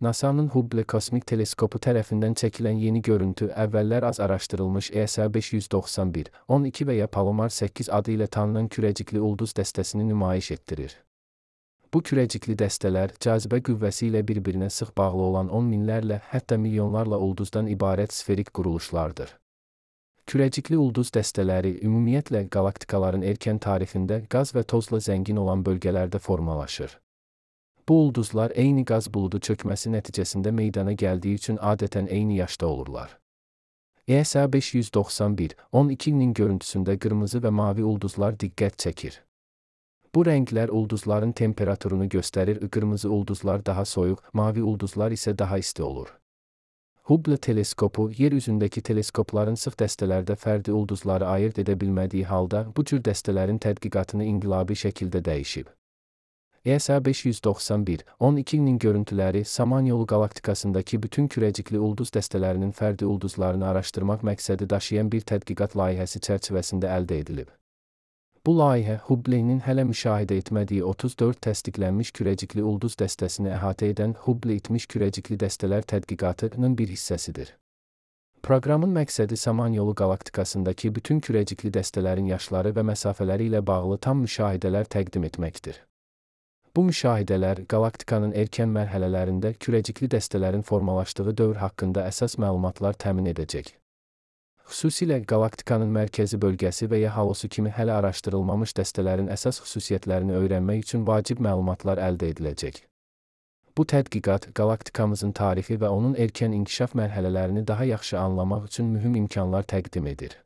NASA-nın Hubble kosmik teleskopu tərəfindən çəkilən yeni görüntü əvvəllər az araşdırılmış ESA 591, 12 və ya Palomar 8 adı ilə tanınan kürəcikli ulduz dəstəsini nümayiş etdirir. Bu kürəcikli dəstələr cazibə qüvvəsi ilə bir-birinə sıx bağlı olan 10 minlərlə, hətta milyonlarla ulduzdan ibarət sferik quruluşlardır. Kürəcikli ulduz dəstələri ümumiyyətlə qalaktikaların erkən tarixində qaz və tozla zəngin olan bölgələrdə formalaşır. Bu ulduzlar eyni qaz buludu çökməsi nəticəsində meydana gəldiyi üçün adətən eyni yaşda olurlar. ESA 591, 12-nin görüntüsündə qırmızı və mavi ulduzlar diqqət çəkir. Bu rənglər ulduzların temperaturunu göstərir, qırmızı ulduzlar daha soyuq, mavi ulduzlar isə daha isti olur. Hubble teleskopu, yer üzündəki teleskopların sıx dəstələrdə fərdi ulduzları ayırt edə bilmədiyi halda, bu cür dəstələrin tədqiqatını inqilabi şəkildə dəyişib. ESA 591, 12-nin görüntüləri Samanyolu qalaktikasındakı bütün kürəcikli ulduz dəstələrinin fərdi ulduzlarını araşdırmaq məqsədi daşıyan bir tədqiqat layihəsi çərçivəsində əldə edilib. Bu layihə Hubble'nin hələ müşahidə etmədiyi 34 təsdiqlənmiş kürəcikli ulduz dəstəsini əhatə edən Hubble itmiş kürəcikli dəstələr tədqiqatının bir hissəsidir. Proqramın məqsədi Samanyolu qalaktikasındakı bütün kürəcikli dəstələrin yaşları və məsafələri ilə bağlı tam müşahidələr təqdim etməkdir. Bu müşahidələr qalaktikanın erkən mərhələlərində kürəcikli dəstələrin formalaşdığı dövr haqqında əsas məlumatlar təmin edəcək. Xüsusilə qalaktikanın mərkəzi bölgəsi və ya halosu kimi hələ araşdırılmamış dəstələrin əsas xüsusiyyətlərini öyrənmək üçün vacib məlumatlar əldə ediləcək. Bu tədqiqat qalaktikamızın tarixi və onun erkən inkişaf mərhələlərini daha yaxşı anlamaq üçün mühüm imkanlar təqdim edir.